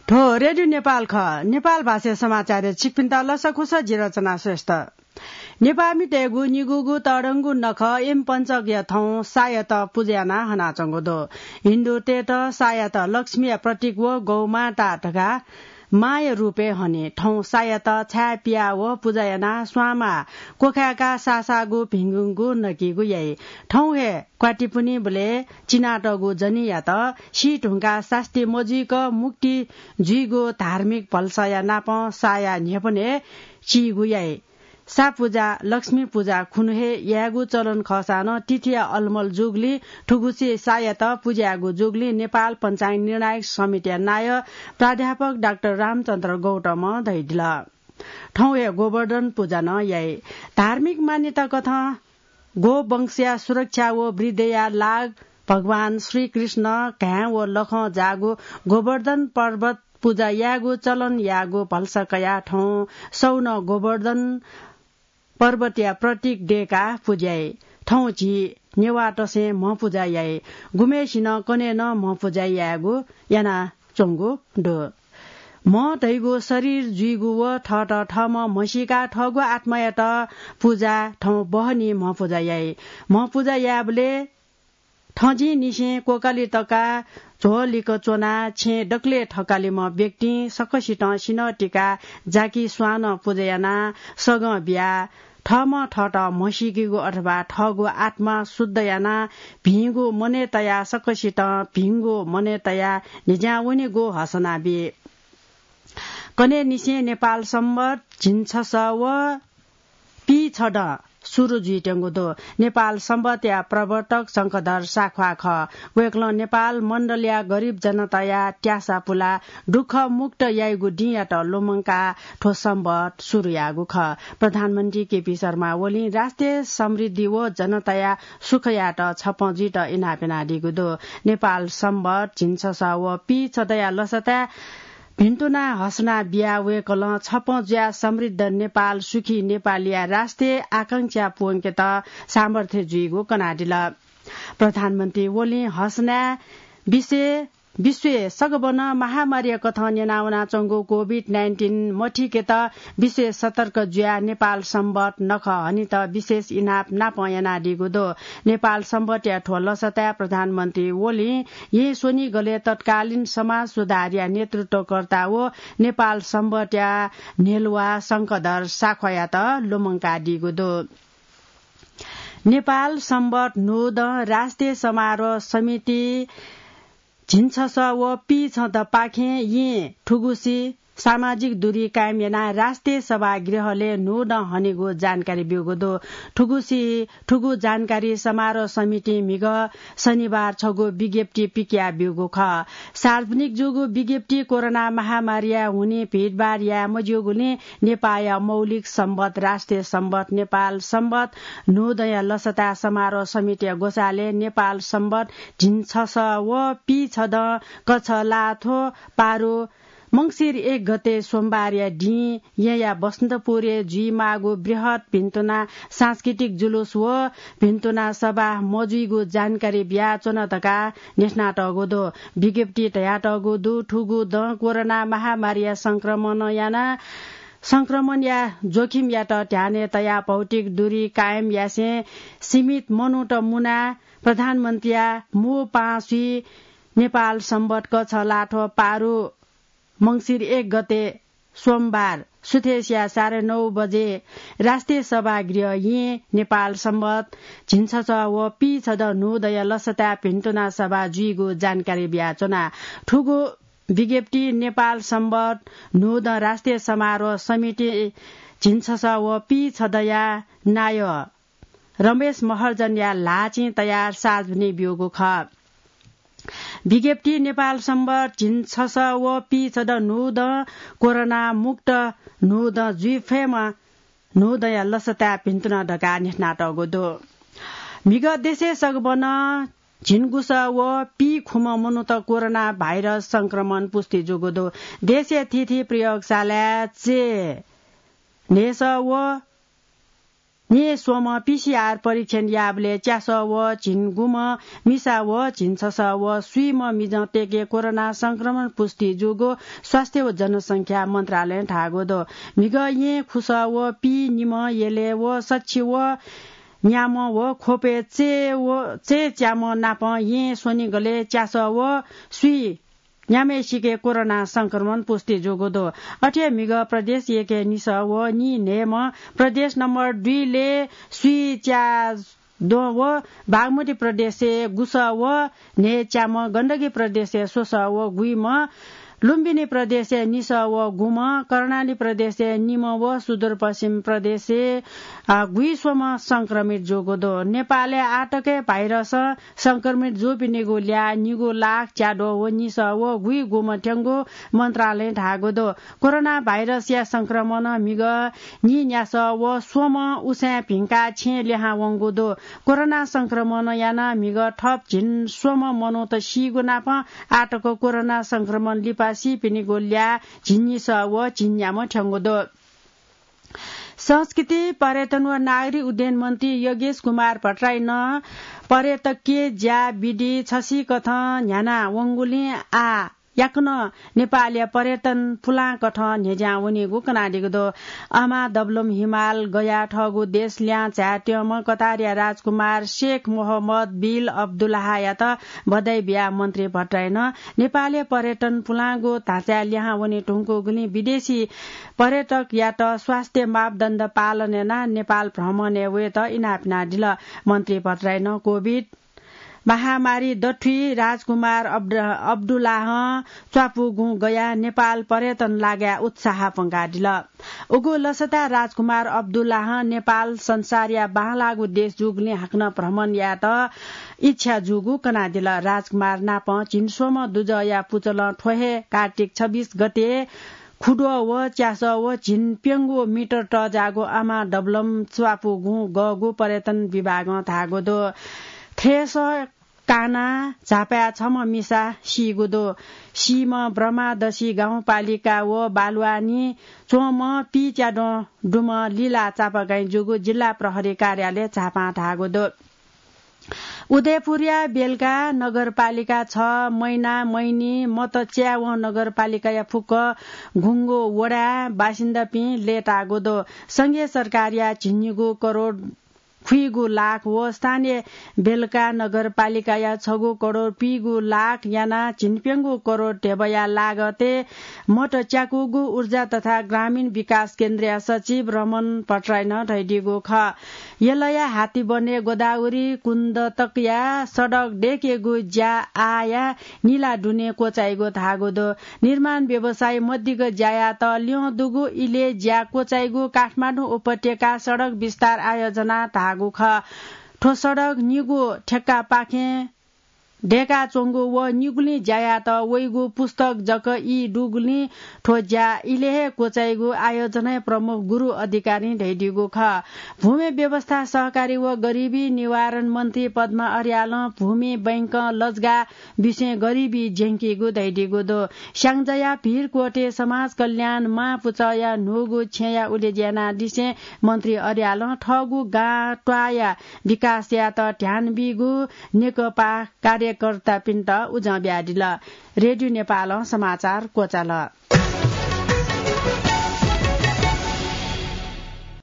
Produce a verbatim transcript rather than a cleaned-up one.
थ्व रेडियो नेपाल खः। नेपाल भाषाया समाचारय् छिकपिन्त लसकुस, जि रचना श्रेष्ठ। नेपाःमितय्गु निगूगु तःधंगु नखः एम पञ्चकया थौं सायात पुजा यानाः हनाच्वंगु दु। हिन्दूतय्त सायात लक्ष्मीया प्रतीक व गौमाता धकाः मांया रूपय् हनी। थौं सायात छाय् पियाः व पुजा यानाः स्वांमाः क्वखाय्काः सासाःगु भिंगुंगु नकीगु याइ। थौं हे क्वातिपुनिबलय् चिनातःगु जनियात सी धुंकाः सास्ती मजुइक मुक्ति जुइगु धार्मिक भलसाया नापं साया न्ह्यःपनय् चीगु याइ। सा पुजा लक्ष्मी पुजा खुन्हु हे यायेगु चलन खःसां नं तिथिया अलमल जूगुलिं थुगुसी सायात पुजा यायेगु जूगुलिं नेपाल पञ्चाङ्ग निर्णायक समितिया नायः प्राध्यापक डाक्टर रामचन्द्र गौतमं धयादिल। थौं हे गोवर्धन पुजा नं याइ। धार्मिक मान्यता कथं गोवंशया सुरक्षा व वृद्धिया लाग भगवान श्रीकृष्ण घाँय् व लखं जाःगु गोवर्धन पर्वत पुजा यायेगु चलन याःगु भलसा कयाः थौं सौनं गोवर्धन पर्वतया प्रतीक दय्काः पुजा याइ। थौं झी नेवाःतय्सं म्ह पुजा याइ। गुम्हय्सिनं कन्हय् नं म्ह पुजा यायेगु यानाच्वंगु दु। म्ह धइगु शरीर जुइगु व थःत थःम्हं म्हसीकाः थःगु आत्मायात पुजा थौं बहनी म्ह पुजा याइ। म्ह पुजा यायेबलय् थँजिंनिसें क्वकालि तकाः झ्वः लिक्क च्वनाः छेँय् दकलय् थकालिम्ह व्यक्तिं सकसितं सिन्हः तिकाः जाकि स्वानं पुजा यानाः सगं बियाः थःम्हं थःत म्हसीकेगु अथवा थःगु आत्मा शुद्ध यानाः भिंगु मनय् तयाः सकसितं भिंगु मनय् तयाः न्ह्यज्यां वनेगु हसना बी। कन्हय्निसें नेपाल संवत् झिंछसः व पीछदँ सुरु जुइत्यंगु दु। नेपाल संवत्‌या प्रवर्तक शंखधर साख्वाः खः। वय्कलं नेपाल मण्डलया गरिब जनताया त्यासा पुलाः दुःख मुक्त याइगु दिंयात लुमंकाः थ्व संवत् सुरु याःगु खः। प्रधानमन्त्री केपी शर्मा ओलीं राष्ट्रिय समृद्धि व जनताया सुखयात छपँ जुइत इनाप यानादीगु दु। नेपाल संवत् झिंछसः व पीछदँया लसताय् भिन्तुना हसना बियाः वय्कलं छपँ जुयाः समृद्ध नेपाल, सुखी नेपालया राष्ट्रिय आकांक्षा पूवंकेत सामर्थ्य जुइगु कनादिल। प्रधानमन्त्री ओलीं हसनाय् विश्वय्, विश्वय् सगबनं महामारीया कथं न्यनावनाच्वंगु कोभिड नाइन्टिन मथीकेत विश्वय् सतर्क जुयाः नेपाल संवत् नखः हनेत विशेष इनाप नापं यानादीगु दु। नेपाल संवत्‌या थ्व लसताय् प्रधानमन्त्री ओलीं येँ स्वनिगलय् तत्कालीन समाज सुधारया नेतृत्वकर्ता व नेपाल संवत्‌या न्ह्यलुवा शंखधर साख्वाःयात लुमंकादीगु दु। नेपाल संवत् न्हूदँ राष्ट्रिय समारोह समिति झिंछसः व पीछदँपाखें येँ थुगुसी सामाजिक दूरी कायम यानाः राष्ट्रिय सभागृहलय् न्हूदँ हनेगु जानकारी ब्यूगु दु। थुगुसी, थुगु जानकारी समारोह समितिं म्हिगः शनिबार छगू विज्ञप्ति पिकयाः ब्यूगु खः। सार्वजनिक जूगु विज्ञप्ति कोरोना महामारीया हुनिं भिडभाड याये मज्यूगुलिं नेपाःया मौलिक संवत् राष्ट्रिय संवत् नेपाल संवत् न्हूदँया लसताय् समारोह समितिया ग्वसालय् नेपाल संवत् झिंछसः व पीछदँ कछलाथ्व पारु मंसिर एक गते सोमबारया दिं येँया बसन्तपुरय् जुइमाःगु बृहत् भिन्तुना सांस्कृतिक जुलुस व भिन्तुना सभा मजुइगु जानकारी बियाच्वन धकाः न्ह्यथनातःगु दु। विज्ञप्ति धयातःगु दु, थुगु दँ कोरोना महामारीया संक्रमण यानाः संक्रमणया जोखिमयात ध्यानय् तयाः भौतिक दूरी कायम यासें सीमित मनूत मुनाः प्रधानमन्त्रीया मू पांसुइ नेपाल संवत् कछलाथ्व पारु मंसिर एक गते सोमबार सुथय्सिया साढे नौ बजे राष्ट्रिय सभागृह येँ नेपाल संवत् झिंछसः व पीछदँ न्हूदँया लसताय् भिन्तुना सभा जुइगु जानकारी बियाच्वना। थुगु विज्ञप्ति नेपाल संवत् न्हूदँ राष्ट्रिय समारोह समिति झिंछसः व पीछदँया नायः रमेश महर्जनया ल्हाःचिं तयार सार्वजनिक ब्यूगु खः। विज्ञप्ति नेपाल संवत् झिंछसः व पीछदँ न्हूदँ कोरोना मुक्त न्हूदँ जुइ फयेमा न्हूदँया लसताय् भिन्तुना धकाः न्ह्यथनातःगु दु। म्हिगः देशय् सगबनं झिंगुसः व पीखुम्ह मनूत कोरोना भाइरस संक्रमण पुष्टि जूगु दु। देशया थीथी प्रयोगशालाय् चय् न्हय्सः व न्हय् स्वम्ह पीसीआर परीक्षण याःबलय् च्यासः व झिंगुम्ह मिसा व झिंछसः व स्वीम्ह मिजंतय्‌के कोरोना संक्रमण पुष्टि जूगु स्वास्थ्य व जनसंख्या मन्त्रालयं धाःगु दु। म्हिगः येँ खुसः व पीनिम्ह यलय् व सछि व न्याम्ह व ख्वपय् चय् व चय्‌च्याम्ह नाप येँ स्वनिगलय् च्यासः व स्वी न्याम्हय्‌सिके कोरोना संक्रमण पुष्टि जूगु दु। अथे म्हिगः प्रदेश एकय् निसः व नीन्हय्‌म्ह, प्रदेश नम्बर दुईलय् स्वीच्याद्वः व बागमती प्रदेशय् गुसः व न्हय्‌च्याम्ह, गण्डकी प्रदेशय् स्वसः व गुइम्ह, लुम्बिनी प्रदेशय् निसः व गुम्ह, कर्णाली प्रदेशय् निम्ह व सुदूरपश्चिम प्रदेशय्, अ, गुइस्वम्ह संक्रमित जूगु दु। नेपालय् आःतकय् भाइरसं संक्रमित जूपिनिगु ल्याः निगू लाख च्याद्वः व निसः व गुइगुम्ह थ्यंगु मन्त्रालयं धाःगु दु। कोरोना भाइरसया संक्रमणं म्हिगः नीन्यासः व स्वम्ह उसाँय् भिंकाः छेँय् लिहां वंगु दु। कोरोना संक्रमणं यानाः म्हिगः थप झिंस्वम्ह मनूत सीगु नापं आःतक कोरोना संक्रमण लिपा सीपिनिगु ल्याः झिंनिसः व झिंन्याम्ह थ्यंगु दु। संस्कृति, पर्यटन व नागरिक उड्डयन मन्त्री योगेश कुमार भट्टराईनं पर्यटकीय ज्या विधि छसिकथं न्ह्याना वंगुलिं आः याकनं नेपालया पर्यटन पुलांकथं न्ह्यज्यां वनीगु कनादीगु दु। अमा दबलम हिमाल गया थःगु देश ल्याहां झायेत्यंम्ह कतारया राजकुमार शेख मोहम्मद बिल अब्दुल्लाहयात बधाई बियाः मन्त्री भट्टराईनं नेपालया पर्यटन पुलांगु ढाँचाय् लिहां वने धुंकूगुलिं विदेशी पर्यटकयात स्वास्थ्य मापदण्ड पालन यानाः नेपाल भ्रमणय् वयेत इनाप यानादिल। मन्त्री भट्टराईनं कोभिड महामारी दथुइ राजकुमार अब्द-, अब्दुल्लाहं च्वापुगुं गयाः नेपाल पर्यटन लागाय् उत्साह प्वंकादिल। उगु लसता राजकुमार अब्दुल्लाहं नेपाल संसारया बांलाःगु देश जूगुलिं हाकनं भ्रमण यायेत इच्छा जूगु कनादिल। राजकुमार नाप झिंस्वम्ह दुजःया पुचलं थ्व हे कार्तिक छब्बिस गते खुद्वः व च्यासः व झिंप्यंगू मिटर तःजाःगु अमा दबलम च्वापुगुं गःगु पर्यटन विभागं धाःगु दु। थ्रेसः कानाः झापाय् छम्ह मिसा सीगु दु। सीम्ह ब्रह्मादशी गाउँपालिका व बालुवानी च्वंम्ह पीच्याद्वः दुम्ह लिला चापागाईं जूगु जिल्ला प्रहरी कार्यालय झापां धाःगु दु। उदयपुरया बेलका नगरपालिका छ, मैना, मैनी, मत च्यावं नगरपालिकाया फुक्क घुंगु वडाय् बासिन्दापिं लय्ताःगु दु। संघीय सरकारया झिंनिगू करोड खुइगु लाख व स्थानीय बेलका नगरपालिकाया छगू करोड पीगु लाख यानाः झिंप्यंगू करोड ध्यबाया लागतय् मत च्याकूगु ऊर्जा तथा ग्रामीण विकास केन्द्रया सचिव रमण भट्टराईनं धयादीगु खः। यलया हातीबनय् गोदावरी कुण्ड तकया सडक दयेकेगु ज्या आःया निला दुने क्वचाइगु धाःगु दु। निर्माण व्यवसायी मदिग ज्यायात ल्यं दुगु इलय् ज्या क्वचाइगु काठमाडौं उपत्यका सडक विस्तार आयोजना धाःगु खः। थ्व सडक निगू ठेक्कापाखें दयेकाच्वंगु व निगुलिं ज्यायात वइगु पुस्तक जक ई दुगुलिं थ्व ज्या इलय् हे क्वचाइगु आयोजनाया प्रमुख गुरु अधिकारीं धयादीगु खः। भूमि व्यवस्था, सहकारी व गरिबी निवारण मन्त्री पद्मा अर्यालं भूमि बैंकं लजगाः बिसें गरिबी ज्यंकीगु धयादीगु दु। स्याङ्जाया भिरकोटे समाज कल्याण मां पुचःया न्हूगु छेँया उलेज्या यानादिसें मन्त्री अर्यालं थःगु गां त्वाःया विकास यायेत ध्यान बीगु नेकपा कार्यकर्तापिन्त उजं बियादिल। रेडियो नेपालं समाचार क्वचाल।